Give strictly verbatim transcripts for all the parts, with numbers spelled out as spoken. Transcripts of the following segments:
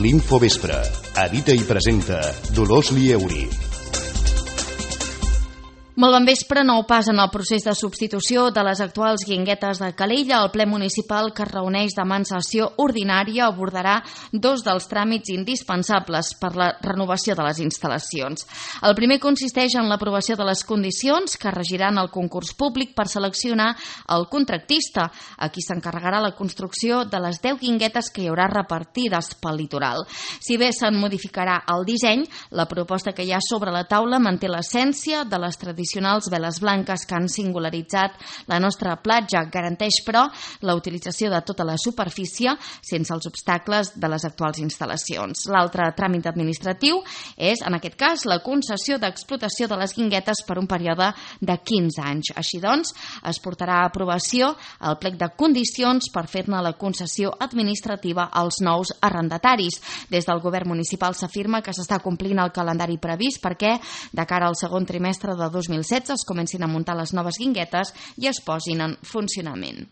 L'Infovespre. Edita i presenta Dolors Lieuri. Molt bon vespre. Nou pas en el procés de substitució de les actuals guinguetes de Calella. El ple municipal, que es reuneix demà en sessió ordinària, abordarà dos dels tràmits indispensables per la renovació de les instal·lacions. El primer consisteix en l'aprovació de les condicions que regiran el concurs públic per seleccionar el contractista, a qui s'encarregarà la construcció de les deu guinguetes que hi haurà repartides pel litoral. Si bé se'n modificarà el disseny, la proposta que hi ha sobre la taula manté l'essència de les tradicions tradicionals veles blanques que han singularitzat la nostra platja. Garanteix, però, la utilització de tota la superfície sense els obstacles de les actuals instal·lacions. L'altre tràmit administratiu és, en aquest cas, la concessió d'explotació de les guinguetes per un període de quinze anys. Així doncs, es portarà a aprovació el plec de condicions per fer-ne la concessió administrativa als nous arrendataris. Des del govern municipal s'afirma que s'està complint el calendari previst perquè, de cara al segon trimestre de dos mil setze, es comencin a muntar les noves guinguetes i es posin en funcionament.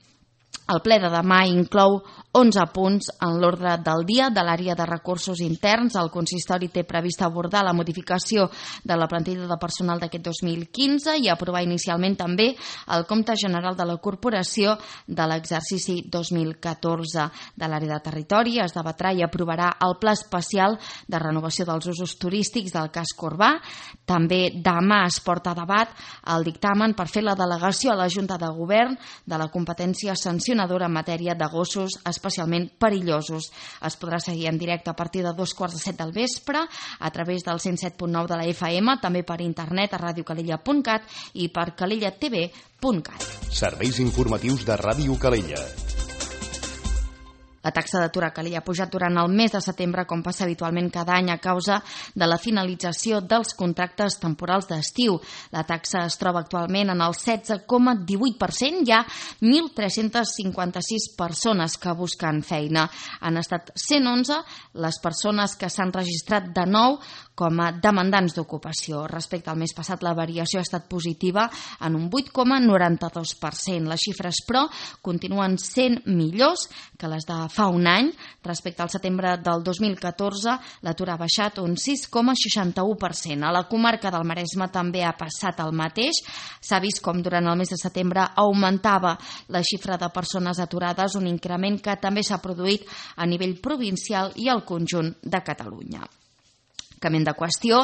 El ple de demà inclou onze punts en l'ordre del dia de l'àrea de recursos interns. El consistori té previst abordar la modificació de la plantilla de personal d'aquest dos mil quinze i aprovar inicialment també el compte general de la corporació de l'exercici dos mil catorze. De l'àrea de territori es debatrà i aprovarà el pla especial de renovació dels usos turístics del casc urbà. També demà es porta a debat el dictamen per fer la delegació a la Junta de Govern de la competència sancionadora en matèria de gossos especialment perillosos. Es podrà seguir en directe a partir de dos quarts de set del vespre a través del cent set punt nou de la F M, també per internet a radio calella punt cat i per calella t v punt cat. Serveis informatius de Ràdio Calella. La taxa d'atur a Calella ha pujat durant el mes de setembre, com passa habitualment cada any, a causa de la finalització dels contractes temporals d'estiu. La taxa es troba actualment en el setze coma divuit per cent. Hi ha mil tres-cents cinquanta-sis persones que busquen feina. Han estat cent onze les persones que s'han registrat de nou com a demandants d'ocupació. Respecte al mes passat, la variació ha estat positiva en un vuit coma noranta-dos per cent. Les xifres, però, continuen sent millors que les de fa un any. Respecte al setembre del dos mil catorze, l'atur ha baixat un sis coma seixanta-u per cent. A la comarca del Maresme també ha passat el mateix. S'ha vist com durant el mes de setembre augmentava la xifra de persones aturades, un increment que també s'ha produït a nivell provincial i al conjunt de Catalunya. Canviant de qüestió,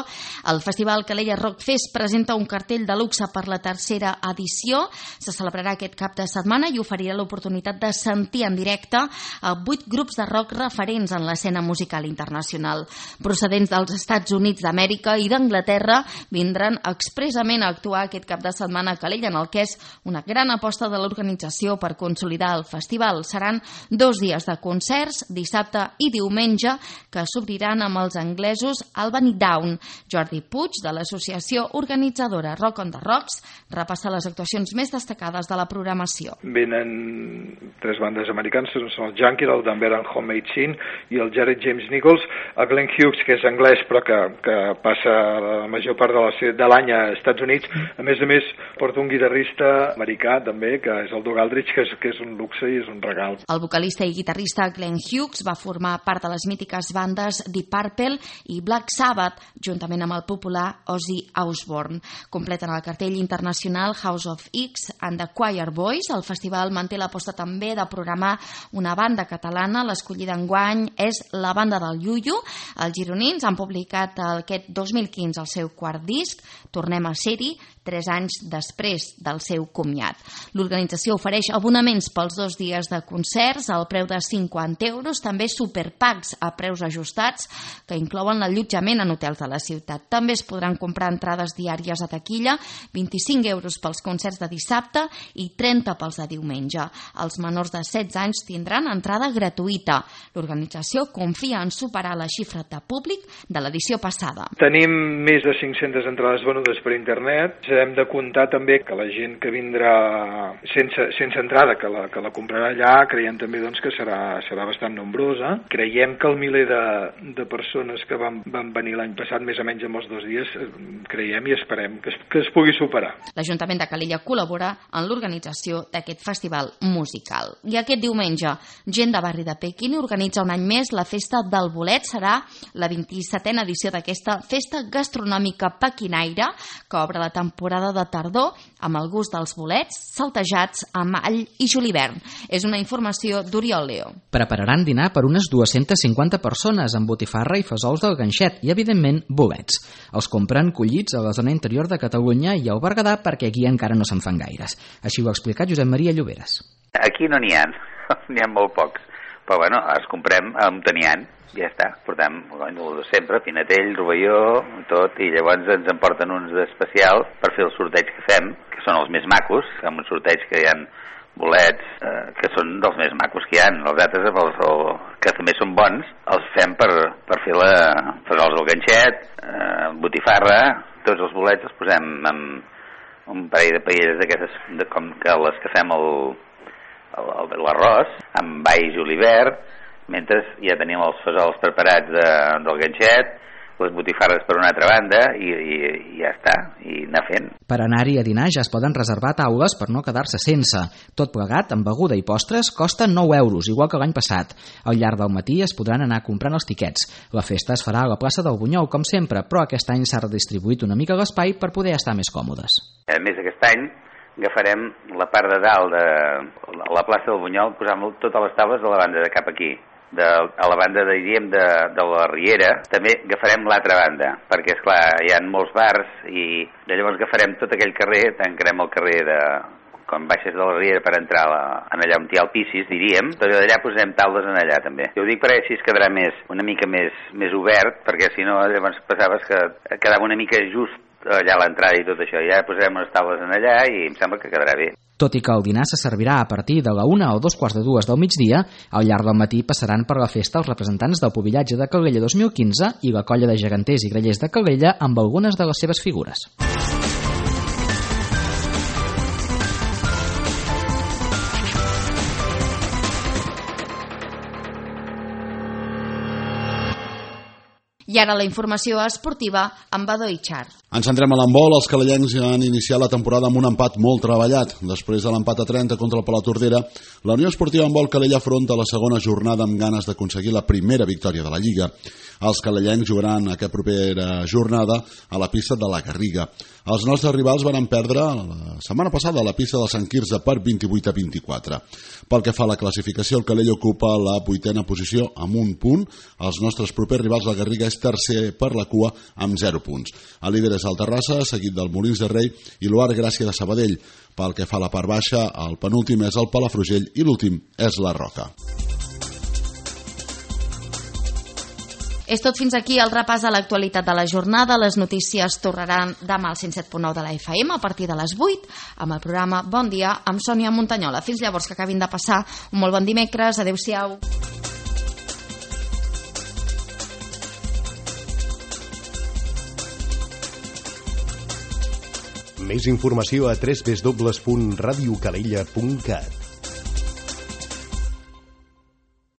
el Festival Calella Rock Fest presenta un cartell de luxe per la tercera edició. Se celebrarà aquest cap de setmana i oferirà l'oportunitat de sentir en directe a vuit grups de rock referents en l'escena musical internacional. Procedents dels Estats Units d'Amèrica i d'Anglaterra, vindran expressament a actuar aquest cap de setmana a Calella, en el que és una gran aposta de l'organització per consolidar el festival. Seran dos dies de concerts, dissabte i diumenge, que s'obriran amb els anglesos Albany Down. Jordi Puig, de l'associació organitzadora Rock on the Rocks, repassa les actuacions més destacades de la programació. Venen tres bandes americanes, són el Junkie, el Denver and Homemade Scene i el Jared James Nichols, el Glenn Hughes, que és anglès però que, que passa la major part de, la, de l'any a Estats Units. A més a més, porta un guitarrista americà també, que és el Doug Aldrich, que és, que és un luxe i és un regal. El vocalista i guitarrista Glenn Hughes va formar part de les mítiques bandes Deep Purple i Black Sabbath, juntament amb el popular Ozzy Osbourne. Completen el cartell internacional House of X and the Choir Boys. El festival manté l'aposta també de programar una banda catalana. L'escollida enguany és la banda del Yuyu. Els gironins han publicat aquest dos mil quinze el seu quart disc, Tornem a ser-hi, tres anys després del seu comiat. L'organització ofereix abonaments pels dos dies de concerts al preu de cinquanta euros, també superpacks a preus ajustats que inclouen l'allotjament en hotels de la ciutat. També es podran comprar entrades diàries a taquilla, vint-i-cinc euros pels concerts de dissabte i trenta pels de diumenge. Els menors de setze anys tindran entrada gratuïta. L'organització confia en superar la xifra de públic de l'edició passada. Tenim més de cinc-centes entrades venudes per internet. Hem de comptar també que la gent que vindrà sense, sense entrada, que la, que la comprarà allà, creiem també doncs, que serà, serà bastant nombrosa. Creiem que el miler de, de persones que van, van venir l'any passat, més o menys en els dos dies, creiem i esperem que es, que es pugui superar. L'Ajuntament de Calella col·labora en l'organització d'aquest festival musical. I aquest diumenge, gent de Barri de Pequín organitza un any més la Festa del Bolet. Serà la vint-i-setena edició d'aquesta festa gastronòmica pequinaire que obre la temporada de tardor amb el gust dels bolets saltejats amb all i julivern. És una informació d'Oriol Leo. Prepararan dinar per unes dues-centes cinquanta persones amb botifarra i fesols del ganxet i, evidentment, bolets. Els compren collits a la zona interior de Catalunya i al Berguedà perquè aquí encara no se'n fan gaires. Així ho ha explicat Josep Maria Lloberes. Aquí no n'hi ha, n'hi ha molt pocs. Però bueno, els comprem amb teniant, ja està. Portem bueno, sempre, pinatell, rovelló, tot, i llavors ens en porten uns d'especial per fer el sorteig que fem, que són els més macos, amb un sorteig que hi ha bolets eh, que són dels més macos que hi ha. Els altres, els, el, que també són bons, els fem per, per fer la fesols del ganxet, eh, botifarra, tots els bolets els posem amb un parell de paelles d'aquestes, de, com que les que fem el l'arròs, amb all i julivert, mentre ja tenim els fesols preparats de, del ganxet, les botifarres per una altra banda, i, i, i ja està, i anar fent. Per anar-hi a dinar ja es poden reservar taules per no quedar-se sense. Tot plegat, amb beguda i postres, costa nou euros, igual que l'any passat. Al llarg del matí es podran anar comprant els tiquets. La festa es farà a la plaça del Bunyol, com sempre, però aquest any s'ha redistribuït una mica l'espai per poder estar més còmodes. A més, aquest any agafarem la part de dalt de la plaça del Bunyol, posant totes les taules de la banda de cap aquí. De, a la banda, diríem, de, de la Riera, també agafarem l'altra banda, perquè, esclar, hi ha molts bars i llavors agafarem tot aquell carrer, tancarem el carrer de... quan baixes de la Riera per entrar la, en allà on hi ha el Piscis, diríem, però d'allà posarem taules en allà també. Jo ho dic perquè així es quedarà més, una mica més, més obert, perquè si no llavors passaves que quedava una mica just allà a l'entrada i tot això. Ja posarem unes taules en allà i em sembla que quedarà bé. Tot i que el dinar se servirà a partir de la una o dos quarts de dues del migdia, al llarg del matí passaran per la festa els representants del Pubillatge de Calella dos mil quinze i la colla de geganters i grallers de Calella amb algunes de les seves figures. I ara la informació esportiva amb Badó Itxar. Ens centrem a l'handbol. Els calellencs ja han iniciat la temporada amb un empat molt treballat. Després de l'empat a trenta contra el Palatordera, la Unió Esportiva Handbol Calella afronta la segona jornada amb ganes d'aconseguir la primera victòria de la Lliga. Els calellencs jugaran aquesta propera jornada a la pista de la Garriga. Els nostres rivals van perdre la setmana passada a la pista del Sant Quirze per vint-i-vuit a vint-i-quatre. Pel que fa a la classificació, el Calella ocupa la vuitena posició amb un punt. Els nostres propers rivals, la Garriga, és tercer per la cua amb zero punts. El líder és el Terrassa, seguit del Molins de Rei i l'Uar Gràcia de Sabadell. Pel que fa a la part baixa, el penúltim és el Palafrugell i l'últim és la Roca. És tot fins aquí el repàs a l'actualitat de la jornada. Les notícies tornaran demà al cent set punt nou de la F M a partir de les vuit amb el programa Bon Dia amb Sònia Montanyola. Fins llavors, que acabin de passar un molt bon dimecres. Adéu-siau. Més informació a w w w punt radio calella punt cat.